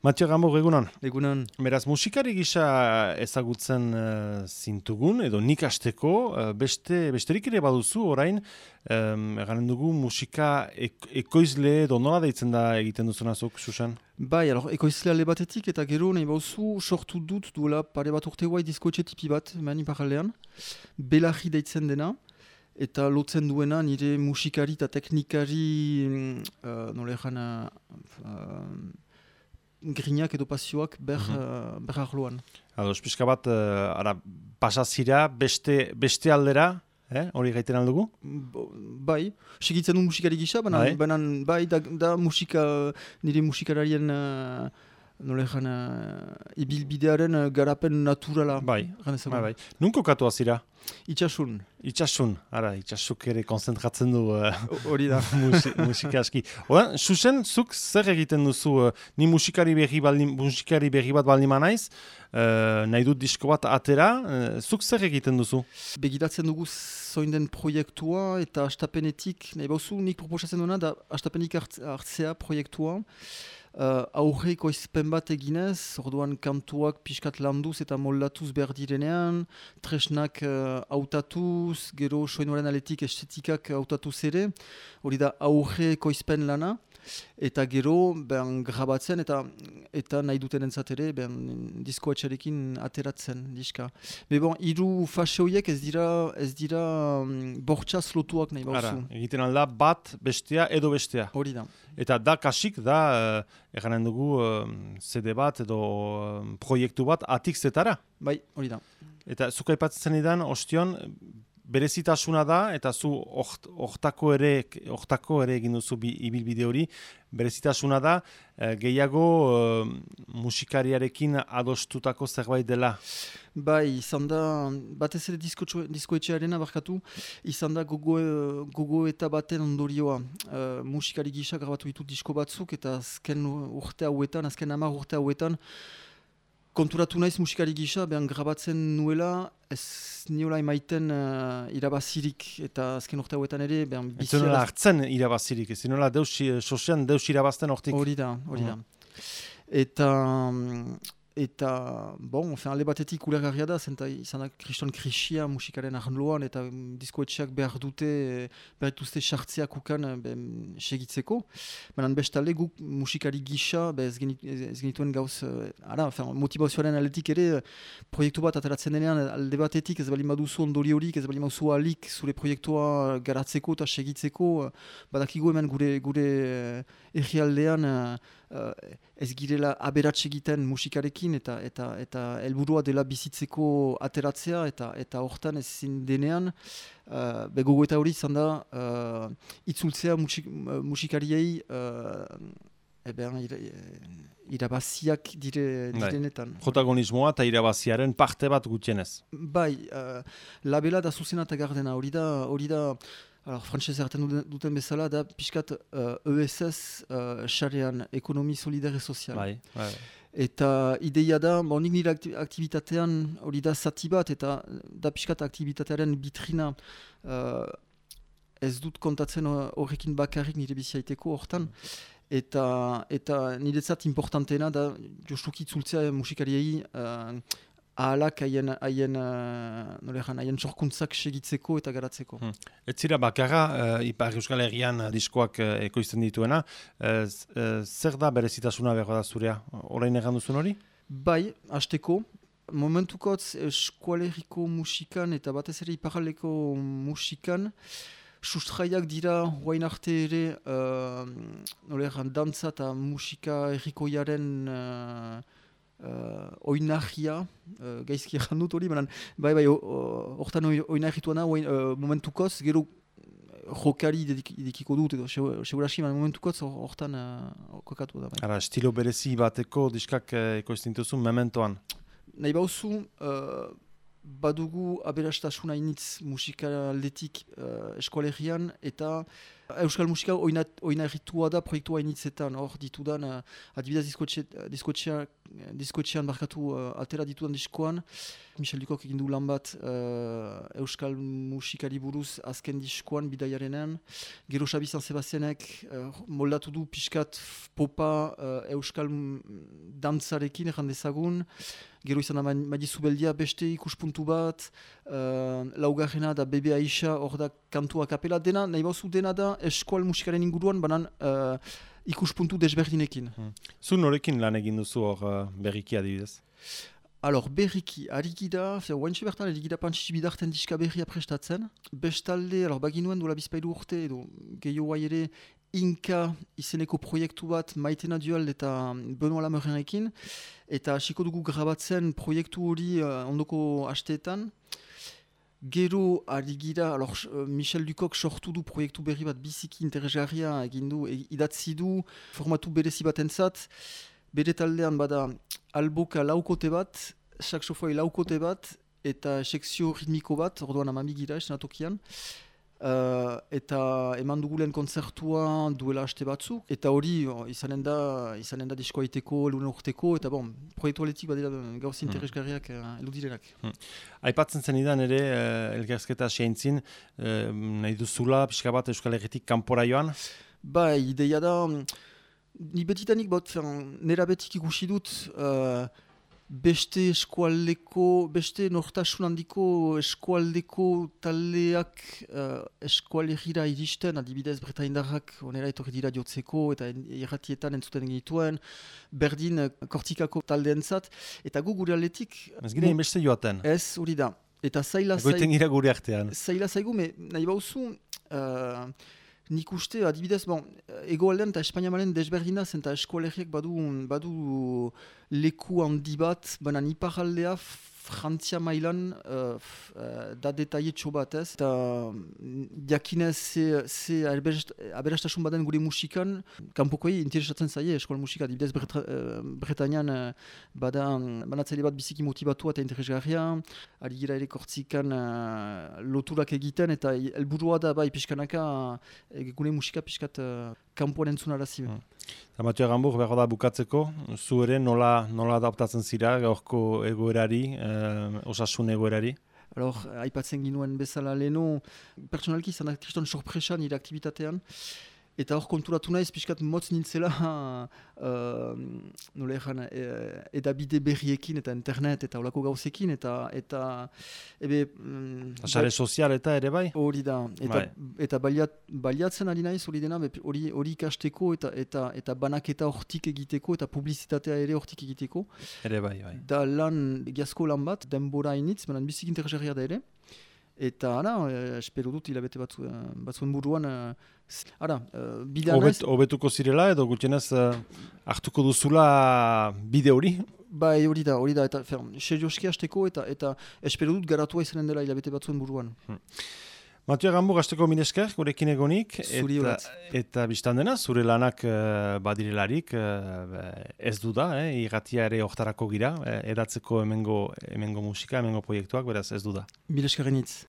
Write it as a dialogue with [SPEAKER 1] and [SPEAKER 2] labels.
[SPEAKER 1] Matio Gambor, egunon.
[SPEAKER 2] Egunon.
[SPEAKER 1] Beraz, musikari gisa ezagutzen zintugun, edo nik hasteko, besterik ere baduzu orain, eganen dugu musika ekoizle edo nola deitzen da egiten duzunazuk, Susan?
[SPEAKER 2] Bai, ekoizle alde batetik eta gero nahi bauzu sortu dut duela pare bat urte guai diskoetxe tipi bat, mani paralean, Belarri deitzen dena, eta lotzen duena nire musikari eta teknikari, nola egan, grinak edo pasioak ber arloan.
[SPEAKER 1] Ados, pixka bat, pasazira beste aldera, hori gaiten aldugu?
[SPEAKER 2] Bai, segitzen du musikari gisa, baina bai, da musika, nire musikararien ibilbidearen garapen naturala.
[SPEAKER 1] Bai. Nun kokatu azira?
[SPEAKER 2] Itxasun.
[SPEAKER 1] Itxasuk ere konzentratzen du
[SPEAKER 2] hori da.
[SPEAKER 1] Musika aski. Oda, Susen, zuk zer egiten duzu? Ni musikari berri bat baldin manaiz, nahi dut disko bat atera, zuk zer egiten duzu?
[SPEAKER 2] Begiratzen dugu zoin den proiektua eta astapenetik, nahi bauzu nik proposatzen duena da astapenik hartzea proiektua, aurreko izpen bat eginez, orduan kantuak pixkat landuz eta moldatuz behar direnean, tresnak hautatuz, gero soinuaren aletik estetikak hautatuz ere, hori da aurreko izpen lana, eta gero grabatzen eta nahi duten entzat ere diskoetxarekin ateratzen diska. Hiru fase horiek ez dira bortxaz lotuak nahi bauzu.
[SPEAKER 1] Egiten alda bat bestea edo bestea.
[SPEAKER 2] Hori da.
[SPEAKER 1] Eta da kasik da, eganen dugu CD bat edo proiektu bat atik zetara.
[SPEAKER 2] Bai, hori da.
[SPEAKER 1] Eta zuk aipatzen idan, ostion, berezitasuna da, eta zu hortako ere egin duzu ibilbide hori, berezitasuna da, gehiago musikariarekin adostutako zerbait dela.
[SPEAKER 2] Bai, izan da, batez ere diskoetxearena barkatu, izan da gogo eta baten ondorioa. Musikari gisa grabatu ditut disko batzuk, eta azken 10 urte hauetan, konturatu naiz musikari gisa, grabatzen nuela, ez niola emaiten irabazirik, eta azken urte hauetan ere,
[SPEAKER 1] ez nola hartzen irabazirik, ez nola sosean deus irabazten hortik.
[SPEAKER 2] Hori da. Eta, alde batetik ulergarria da, izan da kriston krisia musikaren arloan, eta diskoetxeak behar dituzte sartzeak ukan segitzeko. Baina bestalde guk musikari gisa, ez genituen gauz, motivazioaren aldetik ere, proiektu bat ateratzen denean, alde batetik ez balin baduzu ondori horik, ez balin baduzu alik zure proiektua garatzeko eta segitzeko, badakigu hemen gure errealdean, ez girela aberats egiten musikarekin eta helburua dela bizitzeko ateratzea eta hortan ezin denean gogoeta hori izan da itzultzea musikariei irabaziak direnetan.
[SPEAKER 1] Protagonismoa eta irabaziaren parte bat gutienez.
[SPEAKER 2] Bai, labela da zuzena eta gardena, hori da frantsez hartzen duten bezala da pixkat ESS xarean, ekonomi solidare sozial.
[SPEAKER 1] Bai.
[SPEAKER 2] Eta ideia da, nik nire aktivitatean hori da zati bat, eta da pixkat aktivitatearen bitrina ez dut kontatzen horrekin bakarrik nire biziaiteko hortan. Eta niretzat importanteena da justuki itzultzea musikariei ahalak haien sorkuntzak segitzeko eta garatzeko.
[SPEAKER 1] Ez zira bakarra, Ipar Euskal Herrian diskoak ekoizten dituena, zer da berezitasuna behar da zurea? Orain egan duzun hori?
[SPEAKER 2] Bai, hasteko. Momentukotz eskualeriko musikan eta batez ere iparraldeko musikan sustraiak dira guain arte ere dantza eta musika errikoiaren oinahia, gaizki egan dut hori, bai, hortan oinahituana momentukoz, gero jokari dedikiko dut, edo seguraski, momentukoz hortan kokatu da.
[SPEAKER 1] Ara, estilo berezi bateko diskak ekoizten dituzu mementoan?
[SPEAKER 2] Nahi bauzu, badugu aberastasuna initz musikaldetik eskoalegian, eta Euskal musika oinarritua da proiektua initzetan, hor ditudan, adibidez diskoetxean barkatu atera ditudan diskoan, Michel Dukok egin du lan bat Euskal musikari buruz azken diskoan bidaiarenean, gero Xabi San Sebastianek moldatu du pixkat popa Euskal dantzarekin erran dezagun, gero izan da Madi Zubeldia beste ikuspuntu bat, laugarrena da Bebe Aisha, hor da kantua kapela, dena, nahi bauzu dena da eskual musikaren inguruan, banan ikuspuntu desberdinekin.
[SPEAKER 1] Zu norekin lan egin duzu hor berriki adibidez?
[SPEAKER 2] Alors, berriki, arikida, oaintxe bertan arikida Pantsitsi Bidarten diska berria prestatzen. Bestalde, baginuen duela bizpailu urte, edo gehiagoa ere Inka izeneko proiektu bat Maitena Dual eta Benoît Lamerrenekin. Eta hasiko dugu grabatzen proiektu hori ondoko asteetan. Gero arigira, Michel Dukok sortu du proiektu berri bat biziki interesgarria egin du, idatzi du formatu berezi batentzat. Bere taldean bada alboka laukote bat, saxofoi laukote bat, eta sekzio ritmiko bat, orduan amamigira esenatokian. Eta eman dugulen kontzertua duela aste batzuk, eta hori izanen da diskoa iteko, elunen urteko, eta proiektu aletik badira gauz interesgarriak eludirenak.
[SPEAKER 1] Aipatzen zen idan ere, elgerzketa seintzin, nahi duzula, pixka bat Euskal Herritik kanpora joan?
[SPEAKER 2] Ideia da, ni betitanik nera betik ikusi dut beste nortasun handiko eskualdeko taldeak eskualerira iristen, adibidez Bretaindarrak onera etorri dira jotzeko eta irratietan entzuten genituen, berdin Kortikako taldeentzat, eta gu gure aldetik...
[SPEAKER 1] Ez gira inbeste joaten?
[SPEAKER 2] Ez, hori da. Eta zaila
[SPEAKER 1] zaigu,
[SPEAKER 2] nahi bauzu... Nik uste, adibidez, egoaldean eta Espainiamaren desberdina zen eta eskualerriak badu leku handi bat, baina iparraldea Frantzia mailan da detaietxo bat ez. Eta diakinez ze aberastasun baden gure musikan, kanpokoi interesatzen zaie eskual musika. Adibidez, Bretañan banatzaile bat biziki motibatua eta interesgarria, ari gira ere Kortikan loturak egiten eta helburua da pixkanaka gure musika pixkat kanpoan entzunarazi.
[SPEAKER 1] Mathieu Aramburu, behar da bukatzeko, zu ere nola adaptatzen zira gaurko egoerari, osasun egoerari?
[SPEAKER 2] Aipatzen ginuen bezala leheno, pertsonalki izan da kriston sorpresa nire aktibitatean, eta hor konturatu naiz pixkat motz nintzela edabide berriekin eta internet eta olako gauzekin eta
[SPEAKER 1] sare sozial eta ere bai?
[SPEAKER 2] Hori da, eta baliatzen ari naiz hori dena, hori ikasteko eta banaketa hortik egiteko eta publizitatea ere hortik egiteko.
[SPEAKER 1] Ere bai.
[SPEAKER 2] Da egiazko lan bat, denbora initz, baina bizik interesgarria da ere. Eta espero dut hilabete batzuen buruan bidea naiz...
[SPEAKER 1] Hobetuko zirela edo gutxienez hartuko duzula bide hori?
[SPEAKER 2] Hori da, eta serioski hasteko eta espero dut garatua izanen dela hilabete batzuen buruan.
[SPEAKER 1] Mathieu Aramburu, hasteko mil esker, gurekin egonik, eta biztan dena, zure lanak badirelarik, ez du da, irratia ere hortarako gira, edatzeko hemengo musika, hemengo proiektuak, beraz ez du da.
[SPEAKER 2] Mil eskerrenitz.